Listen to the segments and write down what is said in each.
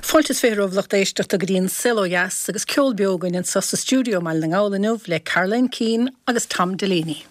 Fáilte is 20 romhaibh lucht éisteachta go dtí an Saol Ó Dheas agus ceol beo againn anseo sa stiúideo i mBaile na nGall inniu le Caroline Keane agus Tom Delaney.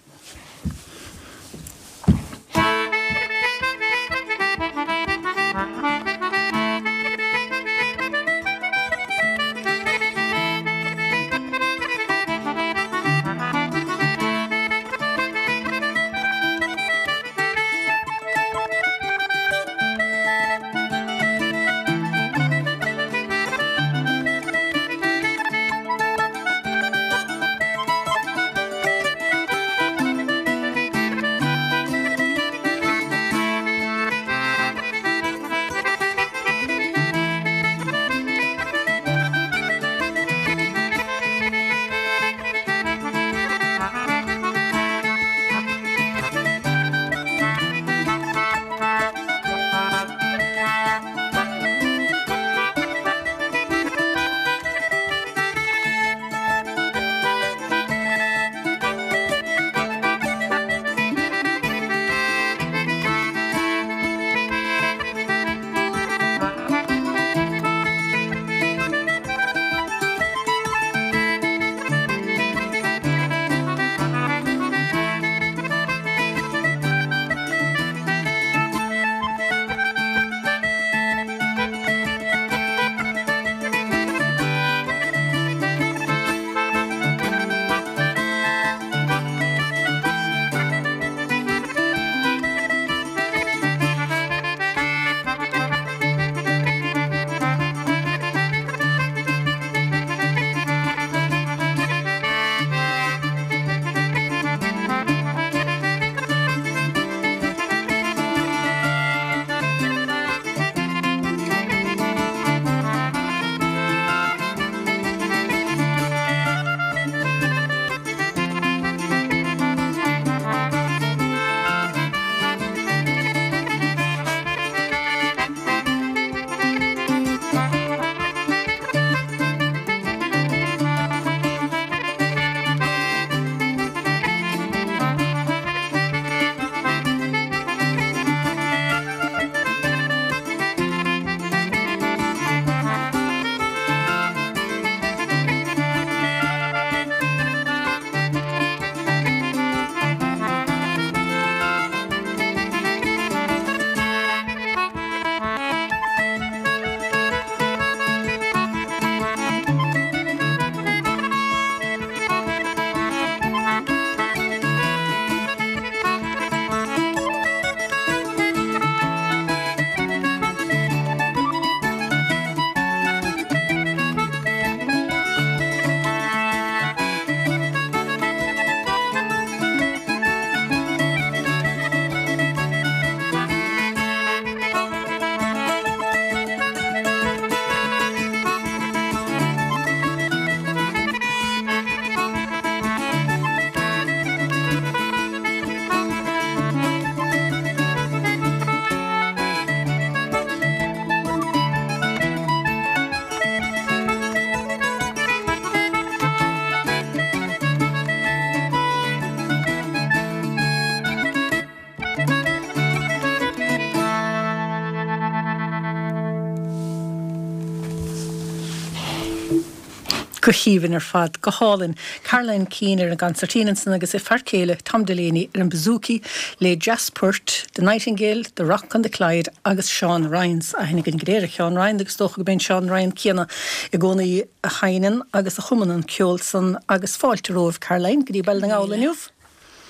Go haoibhinn ar fad, go hálainn. Caroline Keane ar an gconsairtín ansan agus a fear céile Tom Delaney ar an bouzouki le jazz-poirt The Nightingale, The Rock on the Clyde agus Seán Ryans. Aithne againn go léir ar Sheán Ryan agus is dócha go mb'é an Seán Ryan céanna i gcónaí a sheinneann agus a chumann an ceol san agus fáilte romhaibh Caroline go dtí Baile na nGall inniu.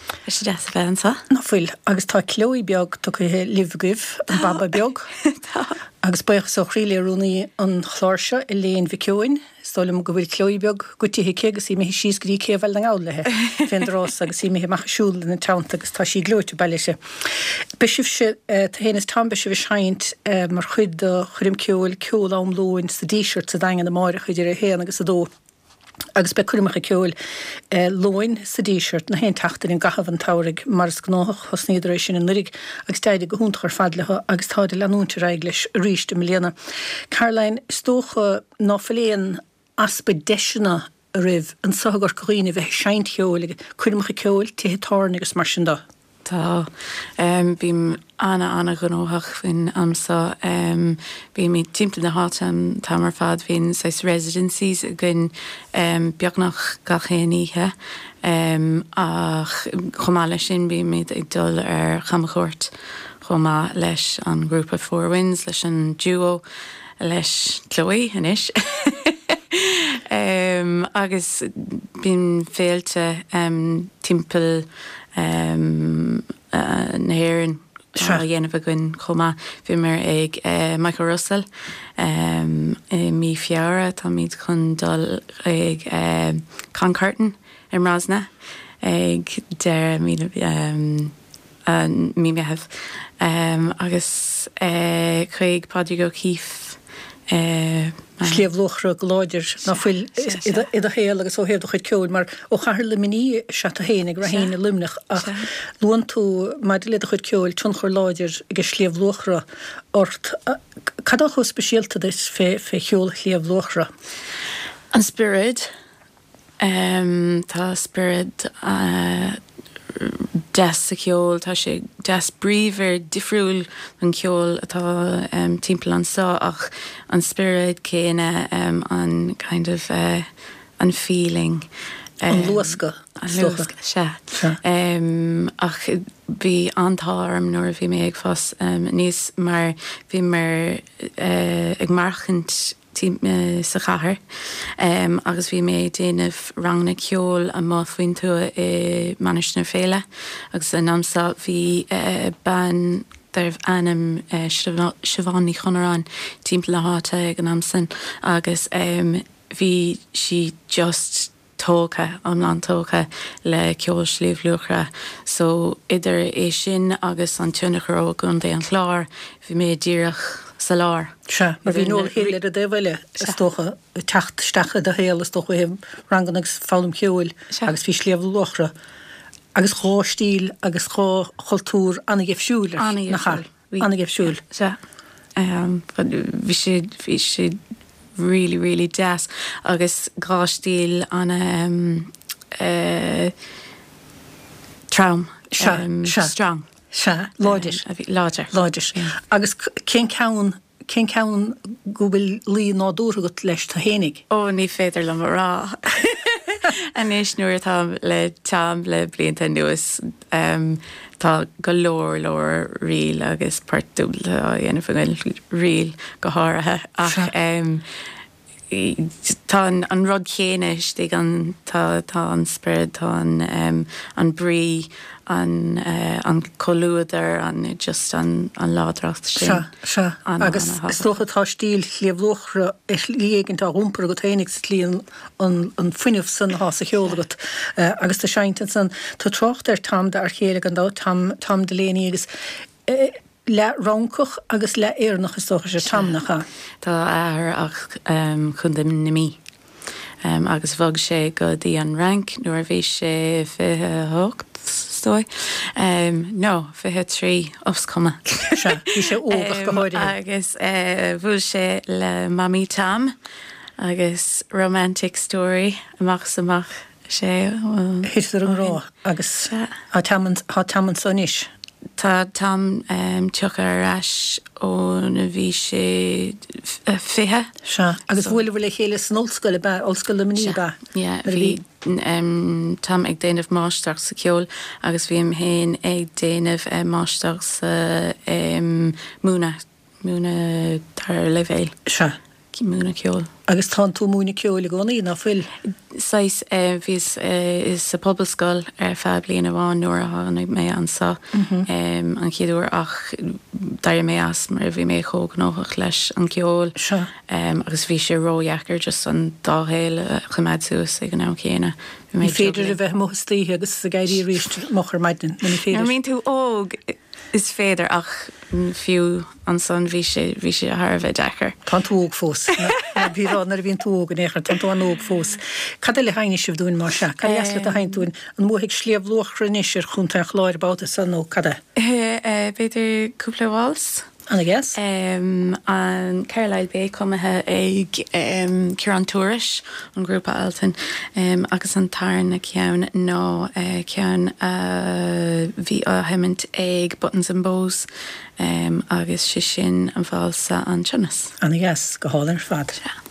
Tá sé deas a bheith anseo. Ná fuil? Agus tá Chloe beag tugtha libh agaibh, an baba beag. Tá. Agus buíochas ó chroí le rúnaí an chláir seo, Elaine Mhic Eoin. Is dóigh liom go bhfuil Chloe beag goitithe aici agus í imithe síos go dtí céibh Bhaile na nGall léi fén dtráth so agus í imithe amach ag siúl ina teannta agus tá sí gleoite bailithe. Beidh sibhse, tú féin is Tom, beidh sibh ag seinnt mar chuid de choirm ceoil, Ceol Am Lóin sa Díseart sa Daingean amáireach idir a haon agus a dó. Agus beidh coirmeacha ceoil Luain sa Díseart na haon tseachtain i gcaitheamh an tsamhraidh mar is gnóthach. Thosnaíodar é sin anuiridh agus d'éirigh go hiontach ar fad leo agus táid ag leanúint ar aghaidh leis arís i mbliana. Caroline, is dócha ná fuil aon easpa deiseanna ariamh anso i gCorca Dhuibhne a bheith ag seinnt cheoil ag coirmeacha ceoil, tithe tábhairne agus mar sin de. Tá. Bím ana-ana-ghnóthach faoin am so. Bímid timpeall na háite an t-am ar fad. Bíonn saghas residencies againn beagnach gach aon oíche. Ach chomh maith leis sin bímid ag dul ar chamchuairt chomh maith leis an ghrúpa Four Winds, leis an duo, leis Chloe anois. Agus bíonn féilte timpeall na hÉireann á dhéanamh againn chomh maith. Bhíomar ag Michael Russell i mí Feabhra, táimid chun dul ag Con Curtin i mBrosna ag deireadh mí mí Meitheamh agus chuig Pádraig O'Keeffe i. Sliabh Luachra go láidir, ná fuil, i do shaol agus ó thaobh do chuid ceoil, mar ó chathair Luimnigh is ea tú féin ag Raheen i Luimneach ach luann tú maidir le do chuid ceoil tionchar láidir ag Sliabh Luachra ort. Cad atá chomh speisialta duit fé cheol Shliabh Luachra? An spiorad. Tá spiorad deas sa cheol, tá sé deas bríomhar, difriúil don cheol atá timpeall anseo ach an spiorad céanna, an kind of an feeling. An luascadh, is dócha. An luascadh, sea. Ach bhí an-t-ádh orm nuair a bhí mé ag fás aníos mar bhíomar ag maireachtaint sa chathair agus bhí mé ag déanamh ranganna ceoil amuigh faoin tuath i Mainistir na Féile agus san am so bhí bean darbh ainm Siobhán Ní Chonaráin timpeall na háite ag an am san agus bhí sí just tógtha, iomlán tógtha le ceol Shliabh Luachra. So idir é sin agus an tionchar ó gContae an Chláir, bhí mé díreach sa lár. Sea, mar bhí Noel Hill ar an dtaobh eile, is dócha, ag teacht isteach i do shaol, is dócha, ó thaobh ranganna agus foghlaim cheoil agus bhí Sliabh Luachra agus dhá stíl agus dhá chultúr an-dheifriúil, nach ea? An-dheifriúil. Sea. Bhí sé, bhí sé really, really deas agus dhá stíl ana trom. Sea, sea. Strong. Sea, láidir. Láidir. Láidir. Agus cén ceann, cén ceann go bhfuil luí nádúrtha agat leis tú fhéinig? Ó, ní féidir liom a rá. Anois nuair atá le Tom le blianta anuas, Tá go leor leor ríl agus port dúbailte á dhéanamh againn, ríl go háirithe, ach tá an rud chéanna istigh ann, tá tá an spiorad, tá an an brí, an an comhluadar, an just an an láidreacht sin. Sea, sea. Agus is dócha tá stíl Shliabh Luachra ar shlí éigint á iompar agat féinig sa tslí an an fuinneamh san atá sa cheol agat agus tú ag seinnt ansan. Tá trácht ar Tom d'fhear chéile gan dabht, Tom, Tom Delaney agus leath-Fhrancach agus leath-Éireannach is dócha is ea Tom, nach ea? Tá a athair as Contae na Mí agus bhog sé go dtí an Fhrainc nuair a bhí sé 28, is dóigh, no, 23, is cuma. Sea, bhí sé óg ach go háirithe. Agus bhuail sé le mamaí Tom. Agus romantic story amach is amach is ea. Thiteadar i ngrá agus tá Tom anso anois. Tá Tom tioctha ar ais óna bhí sé 20. Sea, agus bhuaileabhair le chéile san ollscoil ab ea, Ollscoil Luimnigh ab ea? Sea, bhí Tom ag déanamh máistreacht sa cheol agus bhí mé féin ag déanamh máistreacht sa múineadh. Múineadh dara leibhéal. Sea. Múineadh ceoil. Agus tánn tú ag múineadh ceoil i gcónaí, ná fuil? Saghas, bhíos sa Phobalscoil ar feadh bliain amháin nuair a tháinig mé anso an chéad uair ach d'éirigh mé as mar bhí mé chomh gnóthach leis an gceol. Sea. Agus bhí sé ródheacair just an dá shaol a choimeád suas ag an am chéanna. Bhí mé Ní féidir a bheith amuigh istoíche agus ag éirí arís moch ar maidin, nó ní féidir. Nuair a bhíonn tú óg Is féidir ach fiú ansan bhí sé, bhí sé thar a bheith deacair. Tánn tú óg fós. Ná bí ag rá nuair a bhíonn tú óg in aon chor, tánn tú an-óg fós. Cad eile a sheinnfidh sibh dúinn más ea? Cad a dheas leat a sheinnt dúinn? An mbuafaidh Sliabh Luachra anois ar Chontae an Chláir babhta seo nó cad é? B'fhéidir cúpla waltz? Ana dheas. An Carlisle Bay cumaithe ag Ciarán Tourish ón ghrúpa Altan agus an tarna ceann ná ceann a bhí á sheimint ag Buttons and Bows agus sé sin an válsa An Sionas. Ana dheas, go hálainn ar fad. Sea.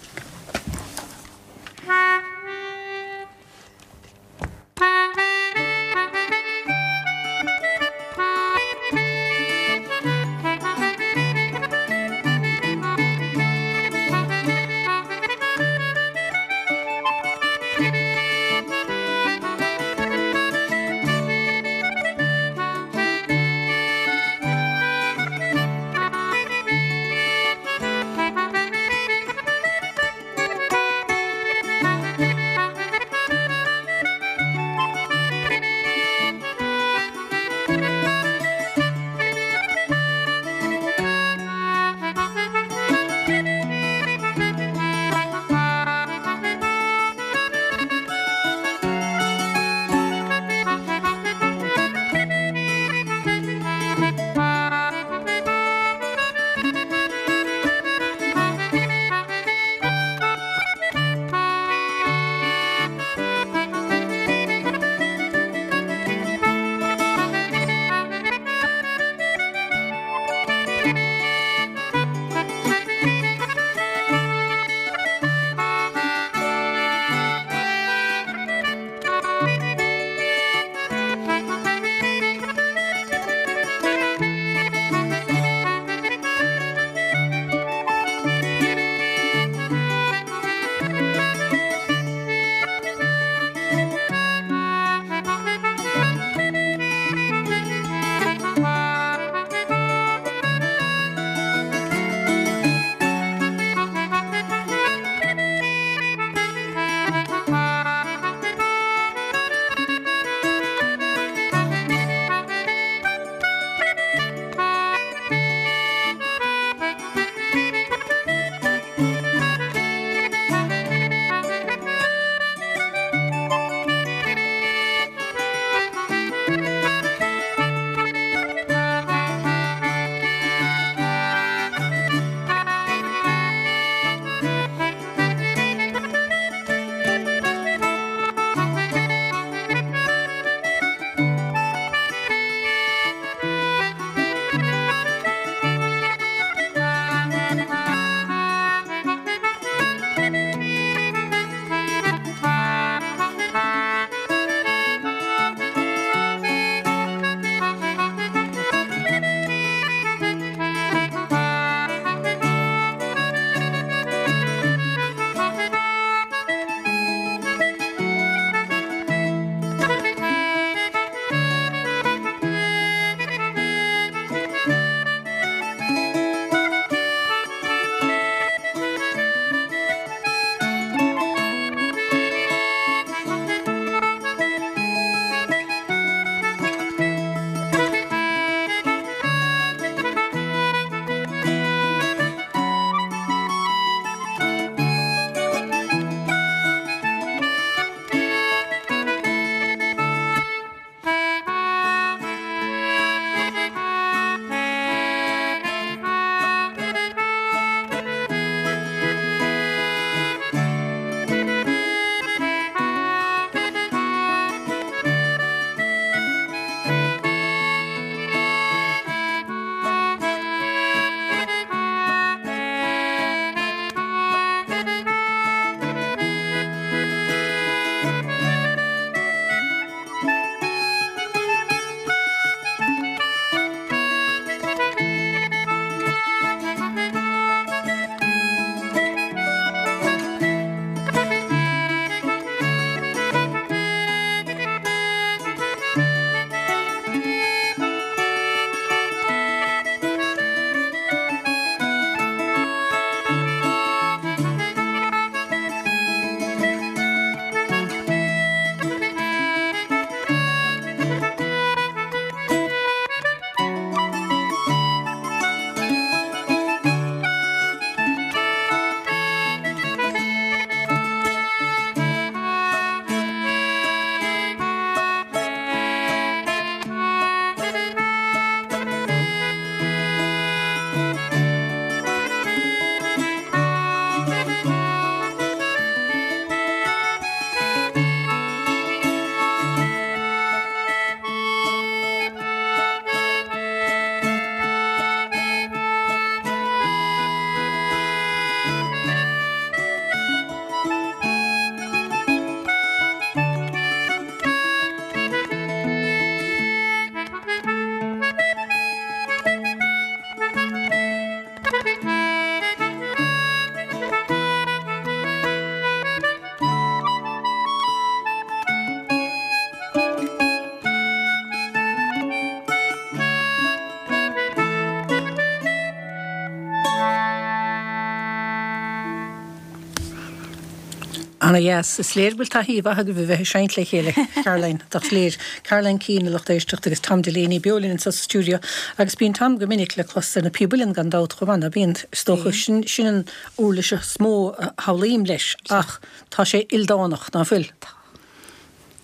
Ana dheas. Is léir go bhfuil taithí mhaith agaibh a bheith ag seinnt le chéile, Caroline. Tá, is léir. Caroline Keane, a lucht éisteachta, agus Tom Delaney beo linn anseo sa stiúideo. Agus bíonn Tom go minic le clos ar na píob uilleann gan dabht chomh maith, ná bíonn? Is dócha, sin, sin an uirlis is mó a shamhlaím leis, ach tá sé ildánach, ná fuil? Tá.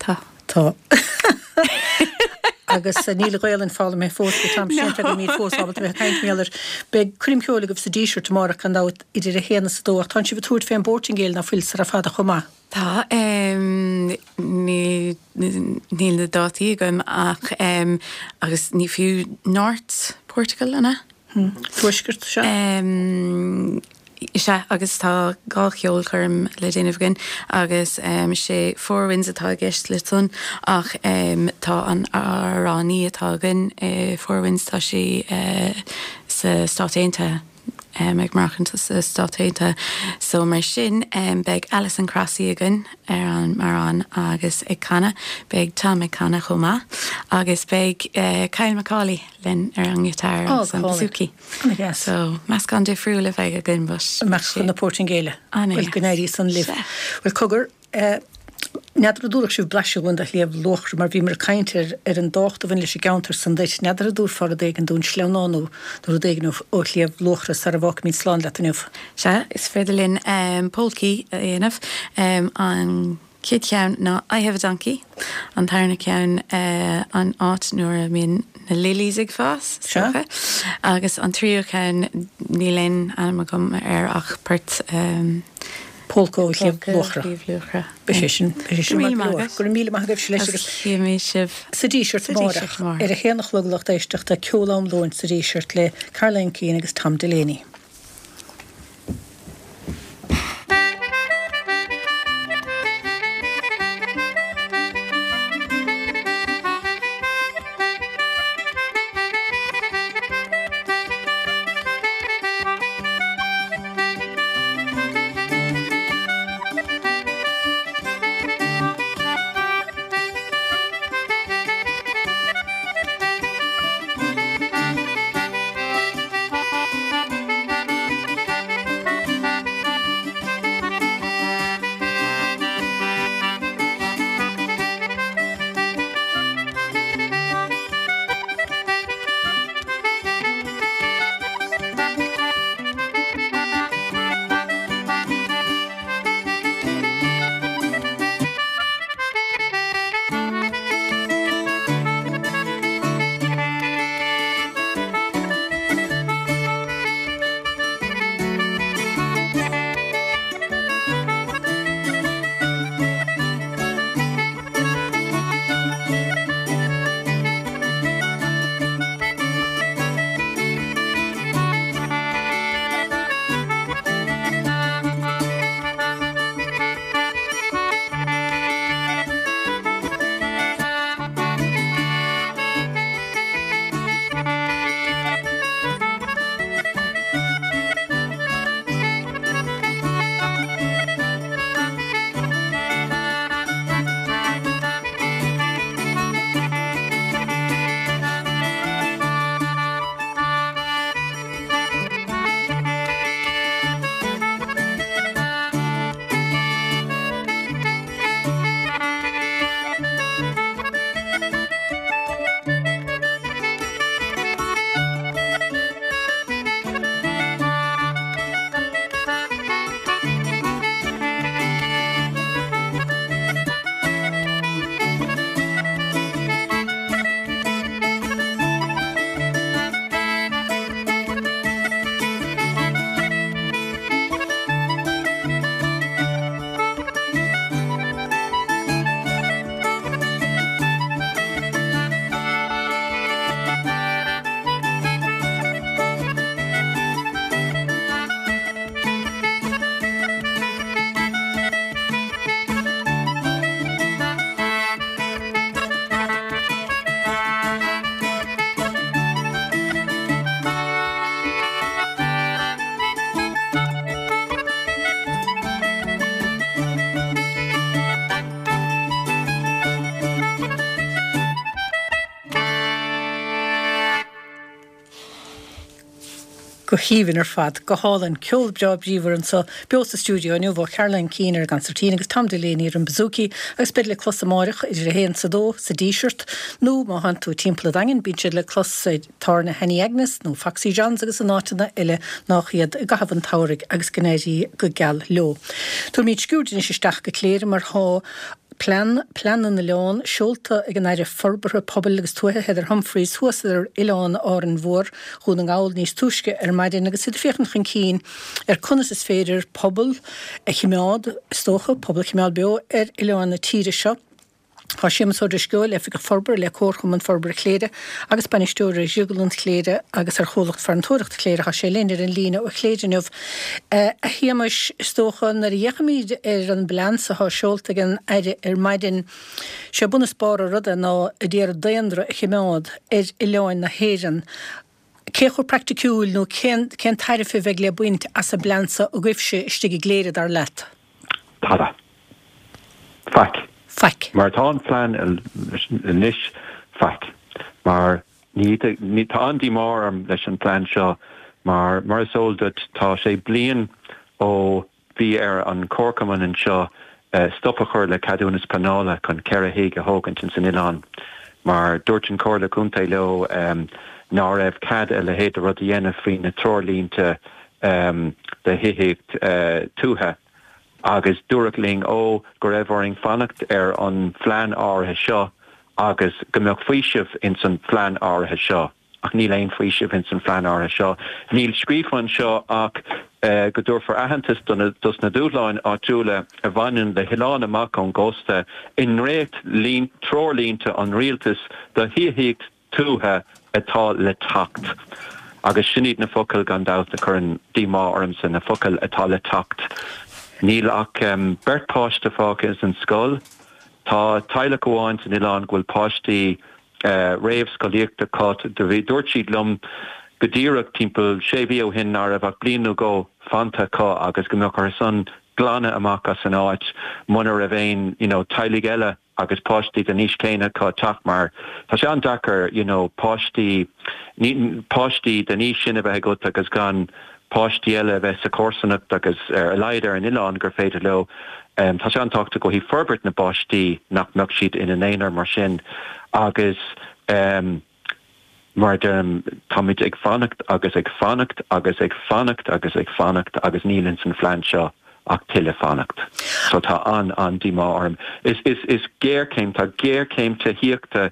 Tá. Tá. Agus níl an Ghaelainn foghlamtha fós ag Tom Séanta go mbíonn fós ábalta bheith ag caint mar gheall air. Beidh coirm cheoil agaibh sa Díseart amárach gan dabht idir a haon is a dó ach tánn sibh ag tabhairt fén bPortaingéil ná fuil sara fada chomh maith? Tá. Níl níl na dátaí agam ach agus ní fiú North Portugal an ea? Tuaisceart, sea. Sea, agus tá 2 cheolchoirm le déanamh againn agus sé Four Winds atá i gceist le san ach tá an amhránaí atá againn i Four Winds, tá sí sa Stáit Aontaithe, ag maireachtaint sa Stáit Aontaithe so mar sin beidh Alison Crossley againn ar an mbodhrán agus ag canadh, beidh Tom ag canadh chomh maith agus beidh Kyle Macaulay linn ar an ngiotár agus an bouzouki. Ana-dheas. So, meascán difriúil a bheidh againn but. Amach chun na Portaingéile. Ana-dheas. Bhuel, go n-éirí san libh. Sea. Bhuel, cogar, eh, n'fheadar an dtabharfadh sibh blaiseadh dhúinn de Shliabh Luachra mar bhíomar ag caint ar, ar an dtábhacht a bhain leis an gceantar san duit. N'fheadar an dtabharfá rud éigin dúinn, sleamhnán nó, nó rud éigin ó, ó Shliabh Luachra sara bhfágfaimid slán leat inniu. Sea, is féidir linn, eh, polcaí a dhéanamh. Eh, an. Chéad cheann ná I have a donkey, an tarna ceann an áit nuair a mbíonn na lilies ag fás, is dócha, agus an tríú ceann níl aon ainm agam air ach port Polca ó Shliabh Luachra. Sliabh Luachra. Beidh sé sin, beidh sé sin maith go leor. Go raibh míle maith agaibhse leis agus Chífimid sibh sa Díseart amárach ar a haon a chlog lucht éisteachta Ceol Am Lóin sa Díseart le Caroline Keane agus Tom Delaney. Go haoibhinn ar fad. Go hálainn. Ceol breá bríomhar anseo beo sa stiúideo inniu ó Caroline Keane ar an gconsairtín agus Tom Delaney ar an bouzouki agus beid le clos amáireach idir a haon 's a dó sa Díseart nó má thánn tú timpeall an Daingin bíonn siad le clos i dtábhairne Annie Agnes nó Foxy John's agus in áiteanna eile nách iad i gcaitheamh an tsamhraidh agus go n-éirí go geal leo. Tabharfaimid sciuird anois isteach go Cléire mar thá Plean, Plean na nOileán, seolta ag an Aire Forbartha Pobail agus Tuaithe Heather Humphreys thuas ar Oileán Árainn Mhór, Dhún na nGall níos túisce ar maidin agus iad ag féachaint chun cinn ar conas is féidir pobal a chimeád, is dócha, pobal a chimeád beo ar oileáin na tíre seo. Tá Séamus Ó Drisceoil, Oifigeach Forbartha le Comharchumann Forbartha Chléire agus Bainisteoir ar Dhrioglann Chléire agus ar Chomhlacht Farantóireachta Chléire, tá sé linn ar an líne ó Chléire inniu. A Shéamais, is dócha, nuair a fhéachaimid ar an bplean so atá seolta ag an Aire ar maidin, sé bun is barr an ruda ná ag iarraidh daonra a chimeád ar oileáin na hÉireann. Cé chomh praiticiúil nó cén cén tairbhe a bheidh le baint as an bplean so agaibhse istigh i gCléire, dar leat? Tada. Faic. Faic. Mar atá an plean anois, faic. Mar Ní, ní, tá an-díomá orm leis an phlean seo mar, mar is eol duit, tá sé bliain ó bhí ar an Chomharchumann anseo stop a chur le ceadúnas pleanála chun 4 thigh a thógaint ins an oileán mar dúirt an Chomhairle Contae leo ná raibh cead a leithéid de rud a dhéanamh faoi na treoirlínte do thithíocht tuaithe agus dúradh linn ó go raibh orainn fanacht ar an phlean áirithe seo agus go mbeadh faoiseamh ins an phlean áirithe seo, ach níl aon faoiseamh ins an phlean áirithe seo. Níl scríofa anseo ach go dtabharfar aitheantas do na, dos na dúshláin áitiúla a bhaineann le hoileáin amach ón gcósta i ndréacht treoirlínte an Rialtais do thithíocht tuaithe atá le teacht. Agus sin iad na focail, gan dabht, a chuireann díomá ormsa, na focail atá le teacht. Níl ach beirt páiste fágtha ins an scoil. Tá teaghlach amháin san oileán go bhfuil páistí réamhscolaíochta acu. Dúirt siad liom go díreach timpeall sé mhí ó shin ná raibh ach bliain nó dhó fanta acu agus go mbeadh orthu san glanadh amach as an áit muna raibh aon you know teaghlaigh eile agus páistí den aois chéanna acu teacht mar tá sé an-deacair you know páistí páistí den aois sin a bheith agat agus gan páistí eile a bheith sa chomharsanacht agus ar a laghad ar an oileán gur féidir leo. Tá sé an-tábhachtach ó thaobh forbairt na bpáistí nach mbeadh siad ina n-aonar mar sin agus mar a deirim, táimid ag fanacht agus ag fanacht agus ag fanacht agus ag fanacht agus níl ins an phlean seo ach tuilleadh fanacht. So tá an-an-díomá orm. Is is is géarchéim, tá géarchéim tithíochta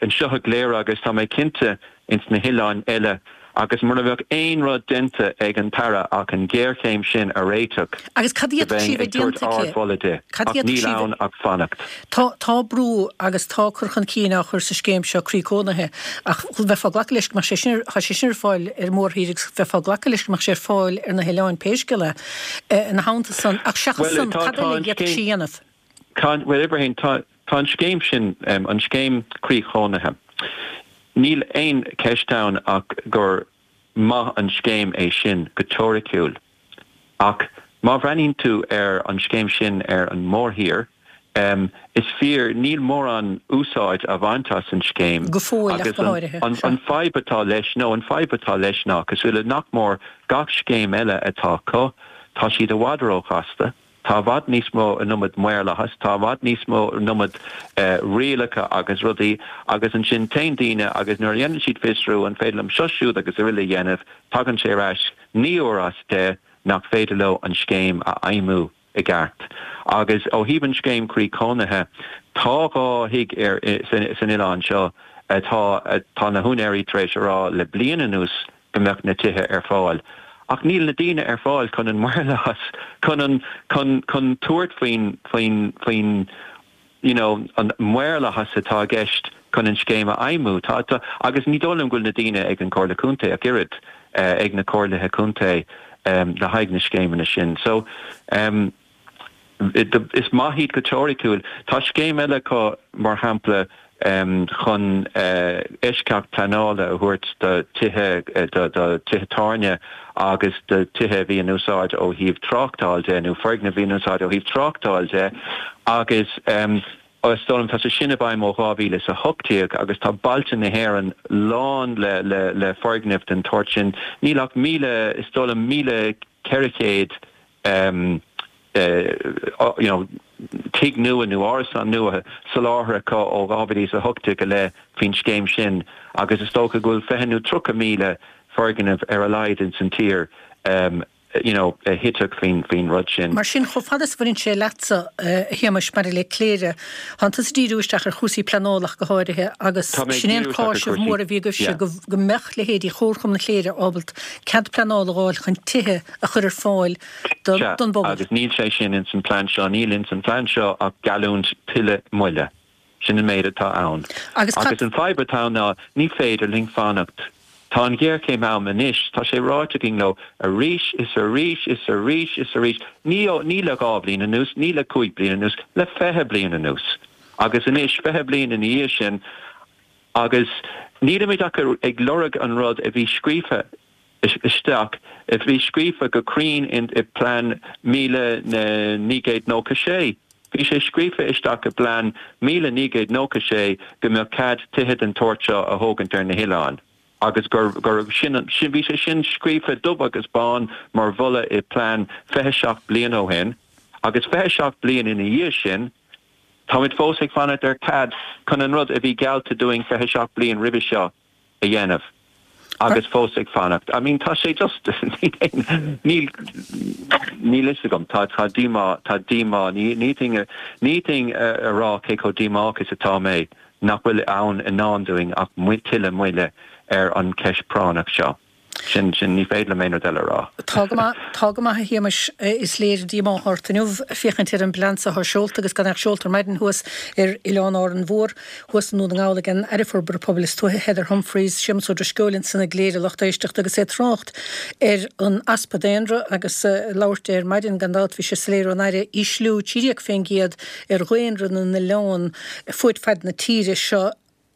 anseo i gCléire agus tá mé cinnte ins na hoileáin eile agus mura mbeadh aon rud déanta ag an tAire ach an ghéarchéim sin a réiteach, Agus cad a d'fhéadfadh sí a bheith bheinn ag tabhairt déanta aici? ardmholadh di. Cad a Ach d'fhéadfadh níl sí a bheith. ann ach fanacht. Tá, tá brú agus tá cur chun cinn á chur sa scéim seo croí cónaithe ach bheifeá ag glacadh leis go mbeadh sé sin, tá sé sin ar fáil ar an mórthír agus bheifeá ag glacadh leis go mbeadh sé ar fáil ar na hoileáin pé scéal é. Ina theannta san, ach seachas Bhuel, san, tá, cad tá eile a an d'fhéadfadh scéim, sí a dhéanamh? tá, bhuel, Ibrahim, tá, tá an scéim sin, an scéim croí chónaithe, Níl aon cheist ann ach gur maith an scéim é sin go teoiriciúil. Ach má bhreathnaíonn tú ar an scéim sin ar an mórthír, is fíor, níl mórán úsáid á bhaint as an scéim Go fóill ach agus go háirithe. an Sea. an fadhb atá leis, nó an fadhb atá leis ná, cosúil le nach mór gach scéim eile atá acu, tá siad i bhfad róchasta. Tá i bhfad níos mó an iomad maorlathas, tá i bhfad níos mó an iomad rialacha agus rudaí agus ansin téann daoine agus nuair a dhéanann siad fiosrú an féidir liom seo, siúd agus araile a dhéanamh, tagann sé ar ais 9 uair as 10 nach féidir leo an scéim a fheidhmiú i gceart. Agus ó thaobh an scéim croí cónaithe, tá 2 thigh ar san oileán seo atá tá na húinéirí tar éis a rá le bliain anuas go mbeadh na tithe ar fáil. Ach níl na daoine ar fáil chun an maorlathas, chun an, chun, chun tabhairt faoin, faoin, faoin you know, an maorlathas atá i gceist chun an scéim a fheidhmiú. Tá, tá, agus ní dóigh liom go bhfuil na daoine ag an Chomhairle Contae ach oiread, ag na comhairlithe contae le haghaidh na scéimeanna sin. So, Is maith iad go teoiriciúil. Tá scéim eile acu, mar shampla, chun eisceacht pleanála a thabhairt do tithe, do tithe tábhairne agus do tithe a bhí in úsáid ó thaobh tráchtáil de, nó foirgnimh a bhí in úsáid ó thaobh tráchtáil de, agus. Is dóigh liom, tá sé sin i bhfeidhm ó 2018 agus tá bailte na hÉireann lán le le le foirgnimh den tsórt sin. Níl ach 1,000, is dóigh liom 1,400 you know tigh nua nó árasán nua soláthair acu ó 2018 i leith faoin scéim sin agus is dócha go bhfuil 20 nó 30,000 foirgneamh ar a laghad ins an tír you know, a thitfeadh faoin, faoin rud sin. Mar sin, chomh fada is a bhaineann sé leatsa, a Shéamais, maidir le Cléire, tánn tusa ag díriú isteach ar chúrsaí pleanála ach go háirithe agus sin é an cáiseamh mór a bhí agaibhse go, go mbeadh leithéidí Chomharchumann Chléire ábalta cead pleanála a dh'fháil chun tithe a chur ar fáil don bpobal. Sea, agus níl sé sin ins an plean seo, níl ins an phlean seo ach geallúint tuilleadh moille. Sin an méid atá ann. Agus an fadhb atá ann ná ní féidir linn fanacht. Tá an ghéarchéim ann anois, tá sé ráite againn leo arís is arís is arís is arís, ní ní le 2 bhliain anuas, ní le 5 bliana anuas, le 20 bliain anuas. Agus anois, 20 bliain ina dhiaidh sin, agus nílimid ach ag lorg an rud a bhí scríofa isteach, a bhí scríofa go cruinn i bplean 1996. Bhí sé scríofa isteach i bplean 1996 go mbeadh cead tithe den tsórt seo a thógaint ar na hoileáin agus gur, gur, sin, sin, bhí sé sin scríofa dubh agus bán mar mholadh i bplean 27 bliain ó shin agus 27 bliain ina dhiaidh sin táimid fós ag fanacht ar cead chun an rud a bhí geallta dúinn 27 bliain roimhe seo a dhéanamh agus fós ag fanacht. I mean tá sé just níl níl fhios agam tá tá díomá tá díomá ní ní ní fhéadfainn a rá cé chomh díomách is atá mé nach bhfuil ann i ndán dúinn ach tuilleadh moille ar an cheist práinneach seo. Sin, sin, ní féidir liom aon rud eile a rá. Tá go maith, tá go maith a Shéamais, is léir díomá ort inniu féachaint ar an bplean so atá seolta agus gan ach seolta ar maidin thuas ar Oileán Árainn Mhór, thuas i nDún na nGall ag an Aire Forbartha Pobail is Tuaithe, Heather Humphreys, Séamus Ó Drisceoil ansan i gCléire lucht éisteachta agus é ag trácht ar an easpa daonra agus ag labhairt ar maidin gan dabht bhí sé soiléir ón Aire ísliú 13% ar dhaonra na n-oileán fuaid faid na tíre seo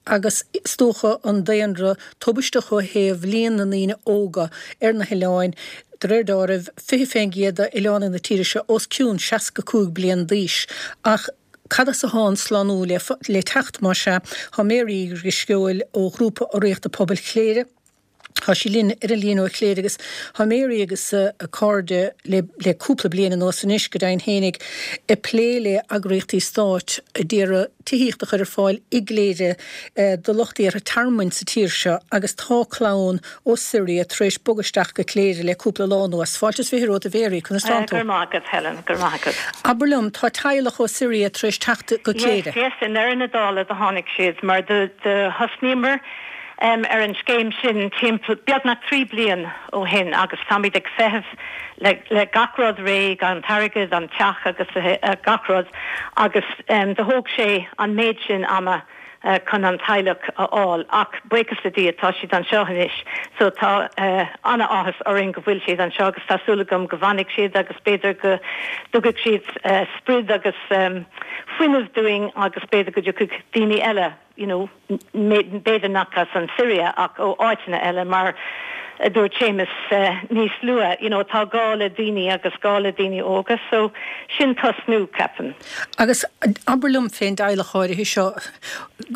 agus is dócha an daonra tubaisteach ó thaobh líon na ndaoine óga ar na hoileáin, de réir deáraimh, 20% d'oileánaigh na tíre seo os cionn 65 bliain d'aois. Ach cad as atá an slánú le teacht, más ea? Tá Mary Uí Drisceoil ó Ghrúpa Urraíochta Pobail Chléire, Tá sí linn ar an líne ó Chléire agus tá Mary agus a cairde le le cúpla bliain anuas anois, go deimhin fhéinig, ag plé le eagraíochtaí stáit a d'iarraidh tithíocht a chur ar fáil i gCléire do lucht iarrtha tearmainn sa tír seo agus tá clann ó Syria tar éis bogadh isteach go Cléire le cúpla lá anuas. Fáilte is 20 romhat a Mhary, conas tánn tú? Go raibh maith agat Helen, go raibh maith agat. Abair liom, tá teaghlach ó Syria tar éis teacht go Cléire? Yes, yes, i ndeireadh na dála do tháinig siad mar do do thosnaíomar ar an scéim sin timpeall, beagnach 3 bliain ó shin agus táimid ag feitheamh le le gach rud réidh, an t-airgead, an teach agus gach rud agus do thóg sé an méid sin ama chun an teaghlach a fháil ach buíochas le Dia tá siad anseo anois so tá ana-áthas orainn go bhfuil siad anseo agus tá súil agam go bhfanfaidh siad agus b'fhéidir go dtugaidh siad sprid agus fuinneamh dúinn agus b'fhéidir go dtiocfaidh daoine eile you know, b'fhéidir nach as an Siria ach ó áiteanna eile mar a dúirt Séamus níos luaithe, you know, tá gá le daoine agus gá le daoine óga so sin tosnú, ceapaim. Agus abair liom fén dteaghlach áirithe seo,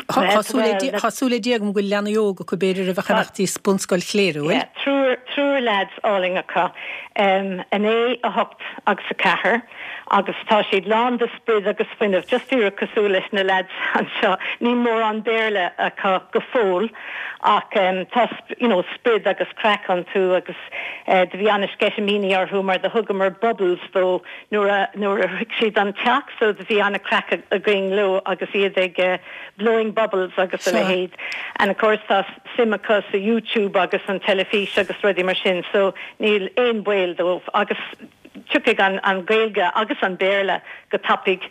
tá súil le Dia agam go bhfuil leanaí óga acu b'fhéidir a bheadh ag imeacht dtí bunscoil Chléire, an bhfuil? Yeah, triúr, triúr lads álainn acu, 9, 8 agus 4. agus tá siad lán de sprid agus fuinneamh, just díreach cosúil leis na lads anseo. Níl mórán Béarla acu go fóill ach tá you know sprid agus craic iontu agus do bhí ana-sceitimíní orthu mar do thugamar bubbles dó nuair a nuair a shroich siad an teach so do bhí ana-craic againn leo agus iad ag blowing bubbles agus a leithéid. And of course tá suim acu sa YouTube agus an teilifís agus rudaí mar sin so níl aon baol dóibh agus tiocfaidh an Ghaeilge agus an Béarla go tapaidh,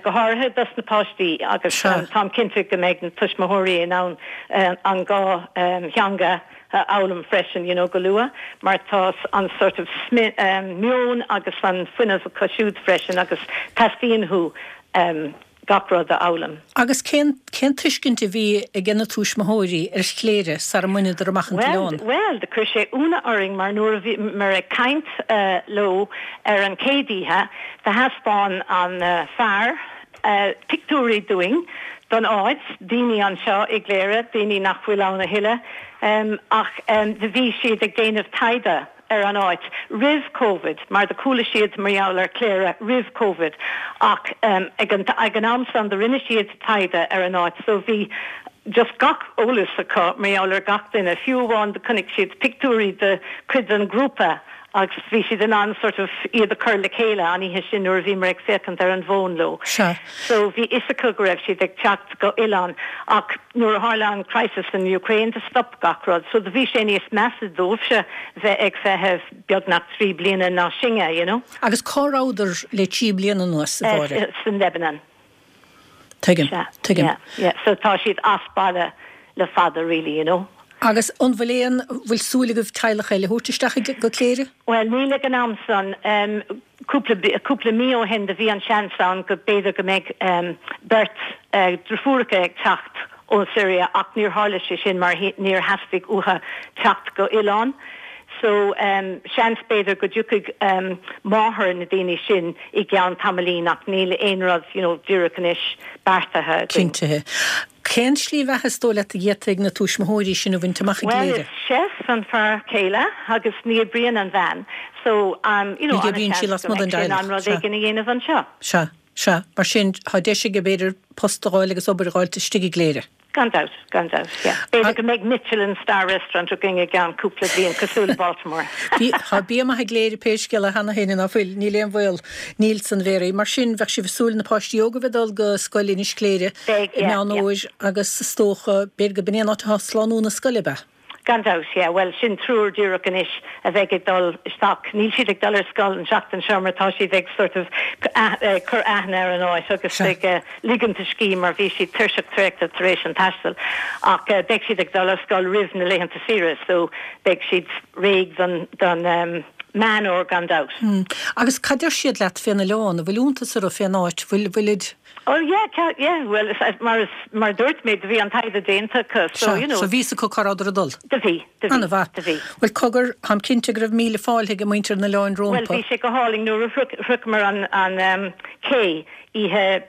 go háirithe dos na páistí agus táim cinnte go mbeidh na tuismitheoirí in ann an dhá theanga a fhoghlaim freisin you know go luath mar tá an sort of meon agus an fuinneamh acu siúd freisin agus teastaíonn uathu gach rud a fhoghlaim. Agus cén, cén tuiscint a bhí age na túismitheoirí ar Chléire sara mbaineadar amach an t-oileán? Bhuel, bhuel, do chuir sé ionadh orainn mar nuair a bhíomar ag caint leo ar an chéad oíche, do thaispeáin an fear. pictiúirí dúinn don áit, daoine anseo i gCléire, daoine nach bhfuil ann a thuilleadh, ach do bhí siad ag déanamh taighde ar an áit roimh Covid mar do chuala siad mar gheall ar Cléire roimh Covid ach ag an ag an am san do rinne siad taighde ar an áit so bhí just gach eolas acu mar gheall ar gach duine, fiú amháin do chonaic siad pictiúirí de cuid den ghrúpa agus bhí siad in ann sort of iad a chur le chéile an oíche sin nuair a bhíomar ag féachaint ar an bhfón leo. Sea. So bhí fhios acu go raibh siad ag teacht go oileán ach nuair a tharla an crisis san Ukraine do stop gach rud so do bhí sé níos measa dóibhse bheith ag feitheamh beagnach 3 bliana ná sinne, you know. Agus cá rabhadar le 3 bliana anuas, a Mháire? San Lebanon. Tuigim, tuigim. Yeah, yeah, so tá siad as baile le fada really, you know. Agus an bhfuil aon, bhfuil súil agaibh teaghlach eile a thabhairt isteach go Cléire? Bhuel, níl ag an am san. Cúpla, cúpla mí ó shin do bhí an seans ann go b'fhéidir go mbeidh beirt driofúracha ag teacht ón Siria ach níor tharla sé sin mar níor theastaigh uathu teacht go oileán. So, seans b'fhéidir go dtiocfaidh máthair na daoine sin i gceann tamaillín ach níl aon rud, you know, díreach anois beartaithe againn. Cinntithe. Cén slí bheatha is dóigh leat a d'fhéadfadh na tuismitheoirí sin a bhaint amach i Bhuel, gCléire? is chef an fear céile agus ní oibríonn an bhean so, you know, Ní oibríonn sí an-seans go lasmuigh den mbeidh sé in dteaghlach. ann rud Sea. éigin a dhéanamh anseo. Sea. Sea. Mar sin, tá deis aige, b'fhéidir, post a dh'fháil agus obair a dh'fháilt istigh i gCléire. Gan dabht, gan dabht, yeah. B'fhéidir go mbeidh Michelin star restaurant againn i gceann cúpla bliain, cosúil le Baltimore. Bhí, tá bia maith i gCléire pé scéal é cheana féin, ná fuil? Níl aon bhaol. Níl san, a Mhéaraí. Mar sin, bheadh sibh ag súil na páistí óga a bheith ag dul go scoil Inis Cléire Beidh, i yeah, Meán yeah. Fhómhair agus is dócha, b'fhéidir go b'in é an áit atá slánú na scoile, ab ea? Gan dabht, yeah. Bhuel, sin triúr díreach anois a bheidh ag dul isteach. Níl siad ag dul ar scoil an tseachtain seo mar tá siad ag sort of cur aithne ar an áit agus ag ligint a scíth mar bhí siad tuirseach traochta tar éis an taistil. Ach beidh siad ag dul ar scoil roimh na laethanta saoire so beidh siad réidh don don Meán Fhómhair gan dabht. Agus cad deir siad leat fén oileán? An bhfuil iontas orthu fén áit? Bhfuil, bhfuilid. Oh yeah, yeah, bhuel mar is, mar a dúirt mé, do bhí an taighde déanta acu, so Sea, you know. so bhí fhios acu cá rabhadar ag dul. Do bhí, do bhí, An-mhaith. do bhí. Bhuel, cogar, táim cinnte go raibh míle fáilte ag muintir an oileáin Bhuel, rómpa. bhí sé go hálainn nuair a shroicheamar an, an cé oíche,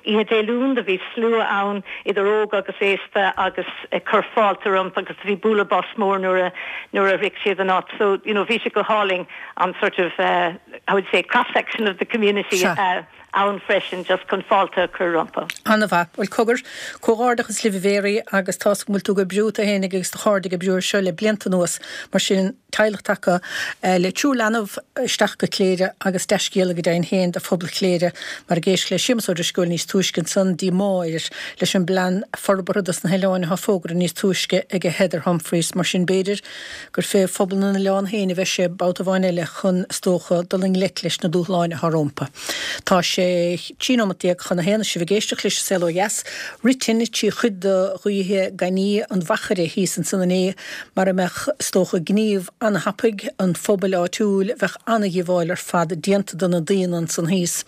oíche Dé Luain, do bhí slua ann, idir óg agus aosta agus ag cur fáilte rompu agus do bhí bualadh bos mór nuair a, nuair a shroich siad an áit. So, you know, bhí sé go hálainn an sort of, how would you say, cross section of the community Sea. ann freisin just chun fáilte a chur rompu. An-mhaith. Bhuel, cogar, comhghairdeachas libh a Mhéaraí agus tá's agam go bhfuil tú ag oibriú, tú fhéinig agus do chairde ag oibriú ar seo le blianta anuas, mar sin teaghlach tagtha le triúr leanbh isteach go Cléire agus dea-scéala go deimhin féin do phobal Chléire mar ag éisteacht le Séamus Ó Drisceoil níos túisce ansan, díomá air leis an bplean forbartha dos na hoileáin atá fógartha níos túisce ag Heather Humphreys, mar sin b'fhéidir gur fé phobal na n-oileán féin a bheidh sé babhta amháin eile chun, is dócha, dul i ngleic leis na dúshláin atá rómpa. Tá sé 13 nóimeat chun a haon is sibh ag éisteacht leis An Saol Ó Dheas. Rith tine trí chuid de ghaoithe gainní an Mhachaire thíos ansan inné. Mara mbeadh, is dócha, gníomh an-thapaidh an phobail áitiúil, bheadh an-dhíobháil ar fad déanta do na daonna ansan thíos.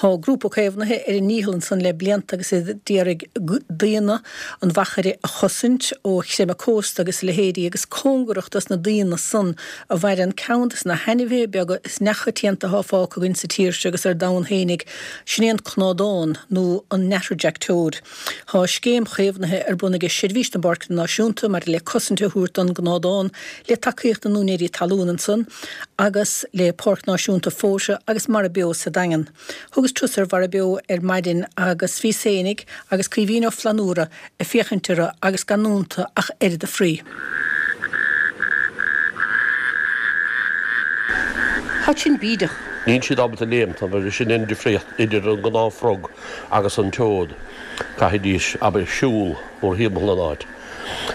Tá grúpa caomhnaithe ar a ndícheall ansan le blianta agus iad d'iarraidh daonna an Mhachaire a chosaint ó chreimeadh cósta agus a leithéidí agus cóngarach dos na daonna san a mhaireann ceann des na hainmhithe beaga is neamhchoitianta atá fágtha againn sa tír seo agus ar domhan fhéinig, sin é an cnádán nó an natterjack toad. Tá scéim chaomhnaithe ar bun aige Seirbhís na bPáirceanna Náisiúnta maidir le cosaint a thabhairt don gcnádán le tacaíocht na n-úinéirí talún ansan agus le Páirc Náisiúnta Fóta agus Mara Beo sa Daingean. Thugas turas ar Mhara Beo ar maidin agus bhíos fhéinig agus Caoimhín Ó Flannúra ag féachaint orthu agus gan iontu ach oiread a chroí. Tá sin bídeach. Níl siad ábalta léimt, abair, sin an difríocht idir an gnáth-frog agus an toad. Caithfidís, abair, siúl mórthimpeall an áit.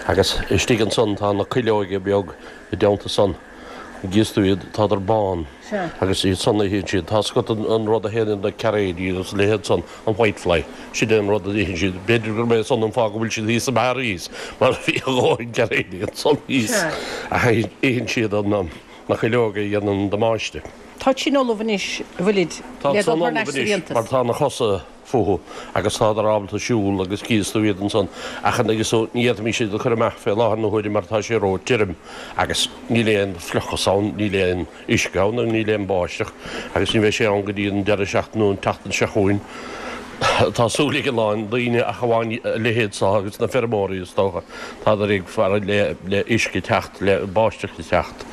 Agus istigh ansan tá na cuileoige beag i dteannta san. Gíos tú iad, tádar bán agus iad san a itheann siad. Tá's agat an rud a théann ar na cairéidí agus a leithéid san, an whitefly, sin é an rud a itheann siad. B'fhéidir gurb é san an fáth go bhfuil siad thíos sa mbarra thíos, mar bhí a dhóthain cairéidí ansan thíos. Ach itheann siad na cuileoga a dhéanann an damáiste. Táid sin ullamh anois, an bhfuilid, le dul thar n-ais sa bhfiántas? Mar tá na cosa fúthu agus tádar ábalta siúl agus cíos tú iad ansan ach an agus ní fhéadfaimis iad a chur amach fé láthair na huaire mar tá sé ró tirim agus níl aon fliuchas ann, níl aon uisce ann agus níl aon báisteach agus ní bheidh sé ann go dtí an deireadh seachtaine nó an tseachtain seo chugainn. Tá súil ag a lán daoine ach amháin a leithéid seo agus na feirmeoirí is dócha, tádar ag faire le uisce teacht, le báisteach a theacht.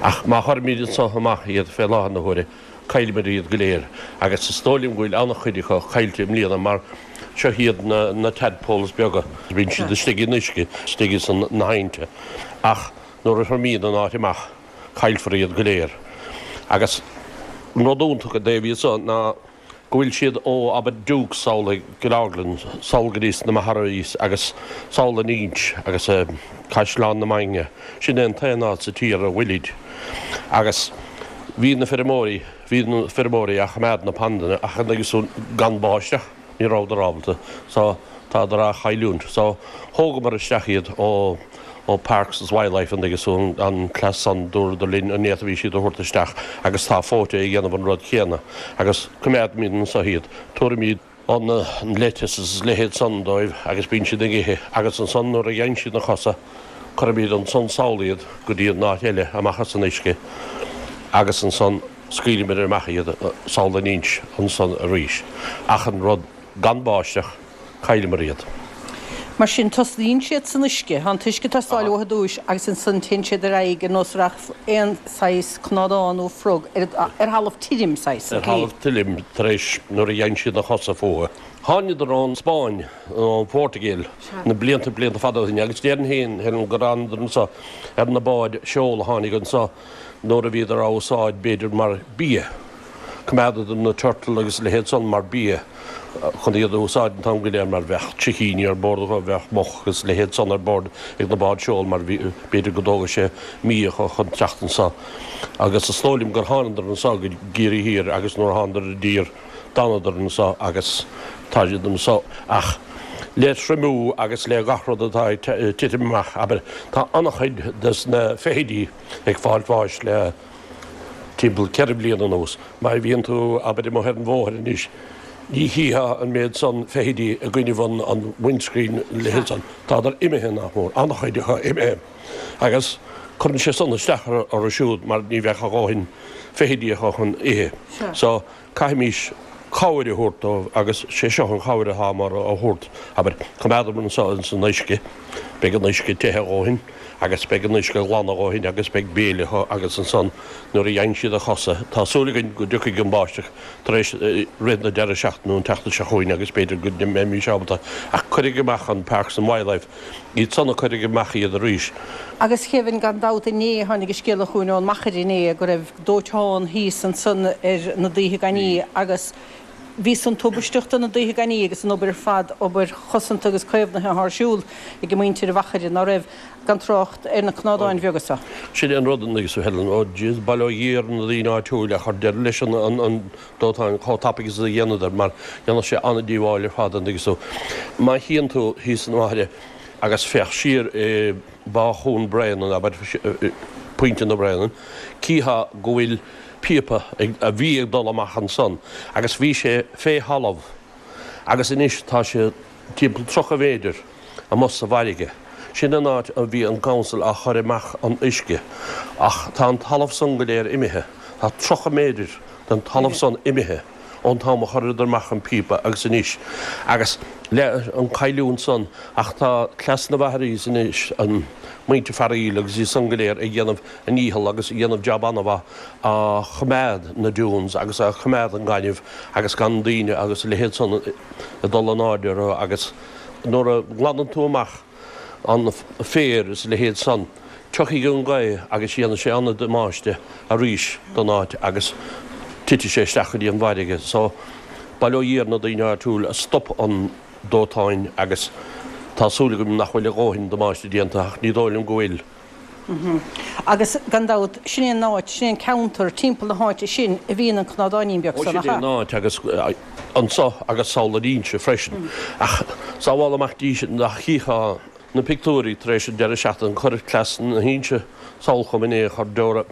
Ach má chuirimid anso amach iad fé láthair na huaire, caillfimid iad go léir agus is dóigh liom go bhfuil an-chuid acu caillte i mbliana mar seo iad na tadpoles beaga, bíonn siad istigh in uisce, istigh ins na haibhnte ach nuair a thriomaíonn an áit amach caillfear iad go léir. Agus an rud iontach i dtaobh iad seo ná go bhfuil siad ó, abair, Dukes sall i gCill Orglan, sall go dtí sna Magherays agus sall in Inch agus Caisleán na Mainge. Sin é an t-aon áit sa tír a bhfuilid. Agus bhí na feirmeoirí, bhí na feirmeoirí á choimeád na pandanna ach agus gan báisteach, ní rabhadar ábalta. So, tádar á chailliúint. So, thógamar isteach iad ó. ó Parks is Wildlife an dtuigeann tú, an cleas san, dúradar linn an bhféadfaimís iad a thabhairt isteach agus tá Fóite ag déanamh an rud céanna agus coimeádfaimid anso iad, tabharfaimid an lettuce is a leithéid san dóibh agus bíonn siad ag ithe agus ansan nuair a gheibheann siad na cosa cuirfimid ansan sall iad go dtí an áit eile amach as an uisce agus ansan scaoilfimid amach iad sall in Inch ansan arís ach an rud gan báisteach Cailleamar iad. Mar sin, tosnaíonn siad san uisce, tá an t-uisce ag teastáil uathu i dtúis agus ansan téann siad ar aghaidh ar nós a rachadh aon saghas cnádán nó frog ar thalamh tirim, saghas, Ar thalamh tirim tar éis nuair a gheibheann siad na cosa fúthu. Tháingadar ón Spáinn, ón Phortaingéil, na blianta, blianta fada ó shin agus déarfainn féin, Helen, gur thánadar anso ar na báid seol a tháinig anso nuair a bhíodar á úsáid b'fhéidir mar bia. Coimeádadar na turtle agus a leithéid san mar bia chun iad a úsáid an t-am go léir mar bheadh sicíní ar bord acu, bheadh muc agus a leithéid san ar bord ag na báid seol mar bhí, b'fhéidir go dtógadh sé mí acu chun teacht anso. Agus is dóigh liom gur thánadar anso go gCiarraí Thiar agus nuair a thánadar i dtír d'fhanadar anso agus tá siad anso ach le triomú agus le gach rud atá ag titim amach, abair, tá an-chuid des na feithidí ag fáilt bháis le. timpeall 4 bliana anuas. Má bhíonn tú, abair, amuigh ar an bhóthar anois, ní chífeá an méid san feithidí i gcoinnibh an windscreen, a leithéid san. Tádar imithe, nach mór, an-chuid acu imithe. Agus cuireann sé san isteach orthu siúd mar ní bheadh a dhóthain feithidí acu chun ithe. So, Caithfimís cabhair a thabhairt dóibh agus sé seo an chabhair atámar a thabhairt, abair, coimeádamar anso ins an uisce, beidh an uisce te a dhóthain agus beidh an uisce glan a dhóthain agus beidh béile acu agus ansan nuair a gheibheann siad a chosa, tá súil againn go dtiocfaidh an báisteach tar éis rith na deireadh seachtaine nó an tseachtain seo chugainn agus b'fhéidir go mbeimís ábalta ach cuirfidh amach an Parks and Wildlife iad san a cuirfidh amach iad arís. Agus Kevin, gan dabht inné, tháinig an scéala chugainn ón Machaire inné go raibh dóiteán thíos ansan ar na Daoithe Gainní agus bhí san tubaisteach do na Daoithe Gainní agus an obair ar fad, obair chosanta agus caomhnaithe atá ar siúl ag muintir an Mhachaire, ná raibh, gan trácht ar na cnádáin bheaga so. Sin é an rud, agus Helen, ó jeez, bail ó Dhia ar na daoine áitiúil a chuir deireadh leis an dóiteán chomh tapaidh is a dhéanadar mar dhéanfadh sé an-díobháil ar fad an dtuigeann tú. Má théann tú thíos an Mhachaire agus féach siar i Bá Chuan Bréanainn, abair, Pointe na Bréanainn, cífeá go bhfuil píopa a bhí ag dul amach ansan agus bhí sé fé thalamh agus anois tá sé timpeall 30 mhéidir amuigh sa bhfarraige. Sin an áit a bhí an council á chur amach an uisce ach tá an talamh san go léir imithe. Tá 30 méidir den talamh san imithe ón t-am a chuireadar amach an píopa agus anois agus le an cailliúint san ach tá cleas na Mhagherays anois, an muintir Fearaíl agus iad san go léir ag déanamh a ndícheall agus ag déanamh jab an-mhaith á choimeád na dunes agus á choimeád an gaineamh agus gan daoine agus a leithéid san ag dul in airde orthu agus nuair a ghlanann tú amach an féar is a leithéid san, tiocfaidh an ghaoth agus dhéanfaidh sé an-damáiste arís don áit agus titfidh sé isteach go dtí an bhfarraige. So, bail ó Dhia ar na daoine áitiúil a stop an dóiteáin agus tá súil agam nach bhfuil a dhóthain damáiste déanta ach ní dóigh liom go bhfuil. Agus, gan dabht, sin é an áit, sin é an ceantar, timpeall na háite sin a bhíonn an cnádáinín beag san, nach Sin é ea? an áit agus anso agus sall ar Inse freisin. Ach sábhála amach Dia sinn nach chífeá na pictiúirí tar éis an deireadh seachtaine, chuir cleas na hInse sall chugam inné, chuir Deora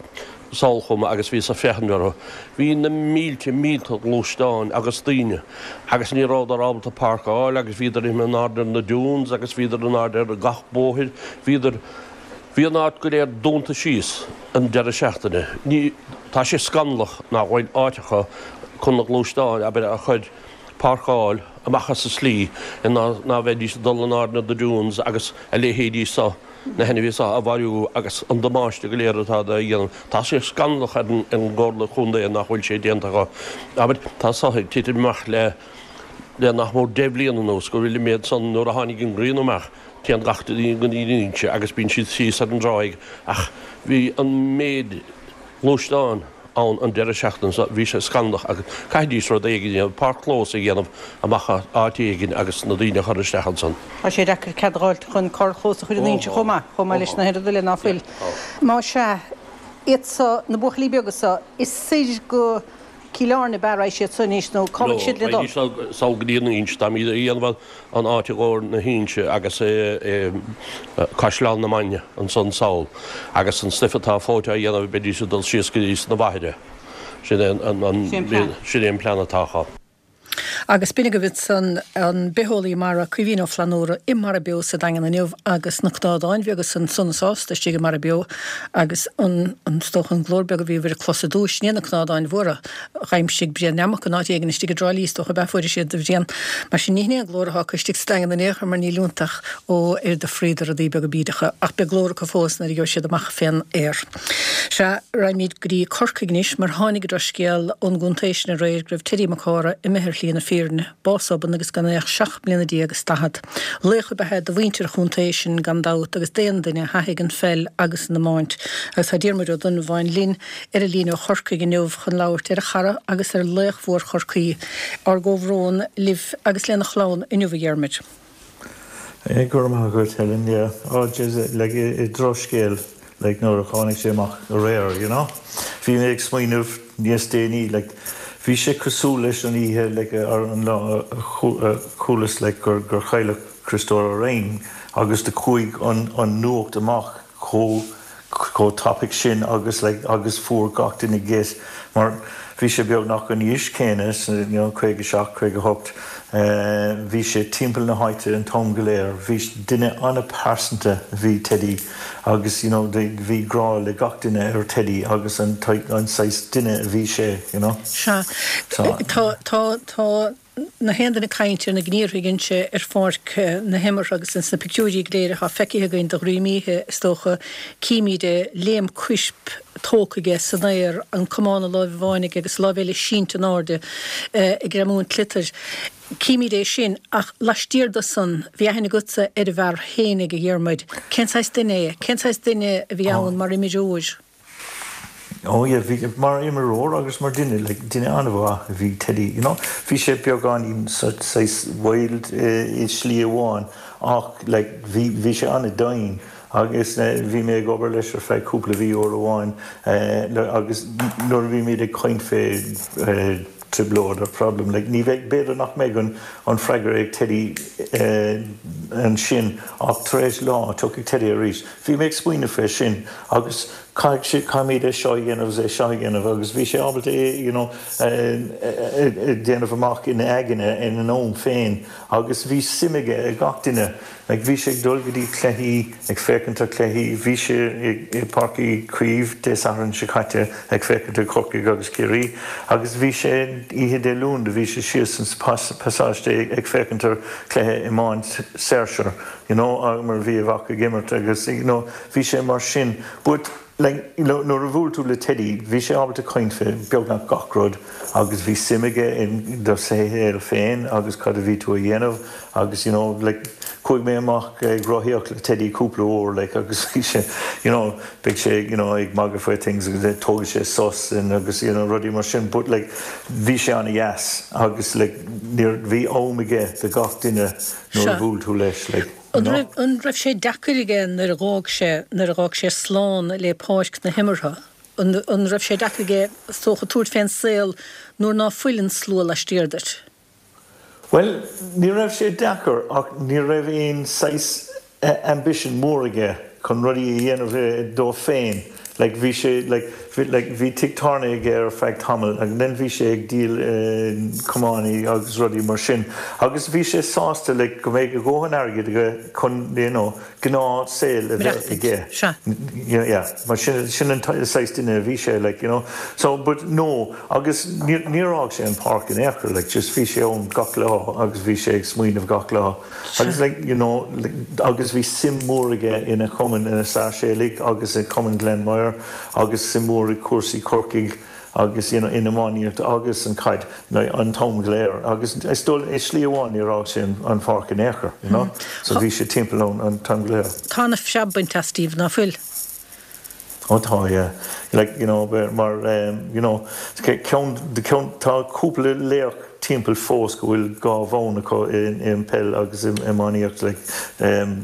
sall chugam agus bhíos ag féachaint orthu. Bhí na mílte, mílte gluaisteáin agus daoine agus ní rabhadar ábalta páirc a fháil agus bhíodar imithe in airde ar na dunes agus bhíodar in airde ar gach bóthair. Bhíodar, bhí an áit go léir dúnta síos an deireadh seachtaine. Ní, tá sé scannalach nach bhfuil áit acu chun na gluaisteáin, abair, a chur. Páirceáil amach as an slí in ná bheidís ag dul in airde na dunes agus a leithéidí so, na hainmhithe so a mharú agus an damáiste go léir atá á dhéanamh. Tá sé scannalach ar an gComhairle Chontae nach bhfuil sé déanta acu. Abair, tá so ag titim amach le le nach mór 10 bhliain anuas go bhfuil an méid san nuair a tháinig an ghrian amach téann gach duine go dtí an Inse agus bíonn siad síos ar an dtráigh ach bhí an méid gluaisteán ann an deireadh seachtaine seo, bhí sé scannalach agus caithfidís rud éigin a dhéanamh, páirc-chlós a dhéanamh amach áit éigin agus na daoine a chur isteach ansan. Tá sé deacair cead a dh'fháilt chun carrchlós a chur in Inse chomh maith, chomh maith leis na hoiread eile ná fuil. Má sea, iad so, na buachaillí beaga so, is soir go Cill Airne ab ea raghaidh siad so anois nó cá bhfuil siad le dul? Raghaidís so sall go dtí an Inse, táimid a dhéanamh an áit i gcomhair na hInse agus Caisleán na Mainge ansan sall agus an stuif atá fós á dhéanamh beidís ag dul síos go dtí sna Mhachaire. Sin é an sin é an plean atá acu. Agus b'in agaibh ansan an bitheolaí mara Caoimhín Ó Flannúra i Mara Beo sa Daingean inniu agus na cnádáin bheaga san sona sásta istigh i Mara Beo agus an is dócha an glór beag a bhíobhair ag clos ar dtúis, ní na cnádáin mhóra. D'aimsigh Brian Neamac in áit éigin istigh i dTrá Lí, is dócha ab ea fuair siad a Bhriain. Mar sin ní hin é an glór atá acu istigh sa Daingean in aon chor mar níl iontach ó ar do fríd rudaí beaga bídeacha ach beidh glór acu fós nuair a gheobhaidh siad amach fén aer. Sea, raghaimid go dtí Corcaigh anois mar tháinig an drochscéal ón gcontae sin aréir go raibh Teddy Mac Cárthaigh imithe ar shlí na fírinne, bás obann agus gan é ach 17 mbliana is 40. Laoch ab ea é do mhuintir an chontae sin gan dabht agus d'aon duine a thaithigh an pheil agus an iomáint. Agus tá Diarmuid Ó Donnabháin linn ar an líne ó Chorcaigh inniu chun labhairt ar a chara agus ar laoch mhór Chorcaí. Ár gcomhbhrón libh agus lena chlann inniu a Dhiarmuid. Go raibh maith agat Helen, yeah. Oh jeez, like drochscéal, like nuair a tháinig sé amach aréir, you know. Bhí mé ag smaoineamh níos déanaí, like bhí sé cosúil leis an oíche, like ar an lá a chualas like gur gur cailleadh Criostóir Ó Rinn agus do chuaigh an an nuacht amach chomh chomh tapaidh sin agus like agus fuair gach duine geit mar bhí sé beagnach an aois céanna you know 57, 58 bhí sé timpeall na háite an t-am go léir bhí duine an-pearsanta bhí Teddy agus you know bhí grá le gach duine ar Teddy agus an an saghas duine a bhí sé you know. Sea. Tá tá tá Na haon duine ag caint ar na gníomhartha a dhein sé ar pháirc na himeartha agus ins na pictiúirí go léir atá feicthe againn de dhroim oíche, is dócha, címid é, léim coisp tógtha aige san aer, an camán i láimh amháin aige agus a láimh eile sínte in airde ag greamú an tsliotair. Címid é sin, ach laistiar de san, bhí aithne agatsa ar an bhfear fhéinig, a Dhiarmuid. Cén saghas duine é? Cén saghas duine a bhí ann mar imreoir? Oh yeah, bhí, mar imreoir agus mar duine, like, duine an-mhaith a bhí Teddy, you know. Bhí sé beagáinín saghas wild i slí amháin ach like bhí, bhí sé an-domhain agus bhí mé ag obair leis ar feadh cúpla mhí uair amháin agus nuair a bhímid ag caint fé trioblóid or problem, like ní bheidh, b'fhéidir nach mbeidh an, an freagra ag Teddy ansin ach tar éis lá tiocfaidh Teddy arís. Bhí mé ag smaoineamh fé sin agus caithfidh sé, caithfimid é seo a dhéanamh agus é seo a dhéanamh agus bhí sé ábalta é you know a déanamh amach ina aigne ina am féin agus bhí suim aige i gach duine. Like bhí sé ag dul go dtí cluichí, ag féachaint ar cluichí, bhí sé i Páirc Uí Chaoimh Dé Sathairn seo caite ag féachaint ar Chorcaigh agus Ciarraí agus bhí sé oíche Dé Luain do bhí sé síos sa pasáiste ag féachaint ar cluiche iomáint Saoirse. you know mar bhí a mhac ag imirt agus you know bhí sé mar sin but like you know nuair a bhuail tú le Teddy bhí sé ábalta caint fé beagnach gach rud agus bhí suim aige in do shaol féin agus cad a bhí tú a dhéanamh agus you know like chuaigh mé amach ag rothaíocht le Teddy cúpla uair like agus bhí sé you know beidh sé you know ag magadh faoi things agus tógfaidh sé sos and agus you know rudaí mar sin but like bhí sé an-dheas agus like níor bhí am aige do gach duine nuair a bhuail tú leis, like, you An raibh, an raibh sé deacair aige nuair a dh'fhág sé, nuair a dh'fhág sé slán le páirc na himeartha? An, an raibh sé deacair aige, is dócha, tabhairt fén saol nuair ná fuil an slua laistiar duit? Bhuel, ní raibh sé deacair ach ní raibh aon saghas ambition mór aige chun rudaí a dhéanamh dó féin. Like bhí sé like bhí like bhí tigh tábhairne aige ar feadh tamaill and then bhí sé ag díol camánaí agus rudaí mar sin agus bhí sé sásta like go mbeidh a dhóthain airgid aige chun you know gnáth saol a bheith aige. Sea. Yeah yeah mar sin sin an saghas duine a bhí sé like you know so but no agus níor níor fhág sé an páirc in aon chor like just bhí sé ann gach lá agus bhí sé ag smaoineamh gach lá. Agus like you know agus bhí suim mhór aige ina chumann ina Sáirséalaigh agus i Cumann Ghlenmire agus suim mhór i cúrsaí Corcaigh agus you know in iománaíocht agus an chaid like an t-am go léir agus is dóigh i slí amháin níor fhág sé an pháirc in aon chor you know so bhí sé timpeall ann an t-am go léir. Tá ana phreab bainte as Steve ná fuil? Ó tá, yeah. Like, you know, mar, you know, ceann, ceann, tá cúpla laoch timpeall fós go bhfuil dha bhonn acu i peil agus i iománaíocht, like,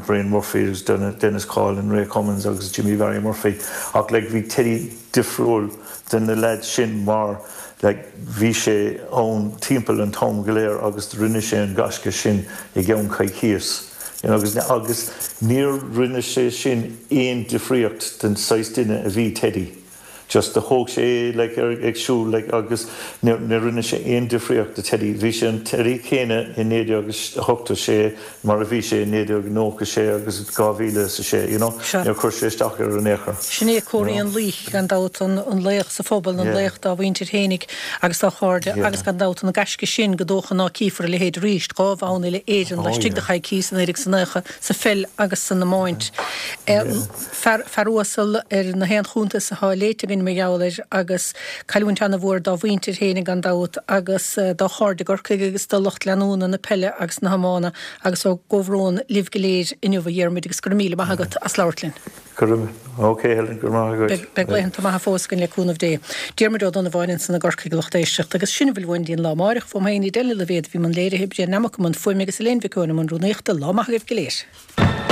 Brian Murphy agus Denis Coughlan, Ray Cummins agus Jimmy Barry Murphy ach, like, bhí Teddy difriúil de na leaids sin mar, like, bhí sé ann timpeall an t-am go léir agus rinne sé an gaisce sin i gceann coicíos. Agus agus níor rinne sé sin aon difríocht den saghas duine a bhí Teddy. Just do thóg sé é like ar ag siúl like agus níor níor rinne sé aon difríocht do Teddy. Bhí sé an Teddy céanna i 1986 mar a bhí sé i 1996 agus 2006, you know. Sea. Níor chuir sé isteach air in aon chor. Sin é comharthaí an laoich, gan dabht, an an laoch sa phobal, an laoch dá mhuintir fhéinig agus dá chairde agus gan dabht an gaisce sin gur dócha ná cífear a leithéid arís, 2 bhonn uile Éireann laistigh de choicíos, i 1990, sa pheil agus san iomáint. Fear, fear uasal ar na haon chuntas atá léite againn mar gheall air agus cailliúint ana-mhór dá mhuintir féinig gan dabht agus dá chairde i gCorcaigh agus do lucht leanúna na peile agus na hiomána agus ár gcomhbhrón libh go léir inniu a Dhiarmuid agus go raibh míle maith agat as labhairt linn. Go raibh, ok Helen, go raibh maith agat. Beidh laethanta maithe fós againn le cúnamh Dé. Diarmuid Ó Donnabháin ansan i gCorcaigh a lucht éisteachta agus sin a bhfuil uainn go dtí an lá amáireach. Fúm féin Edel Ní Loibhéad a bhí i mbun léirithe, Brian Nammock i mbun fuaime agus Elaine Mhic Eoin i mbun rúnaíochta. Lá maith agaibh go léir.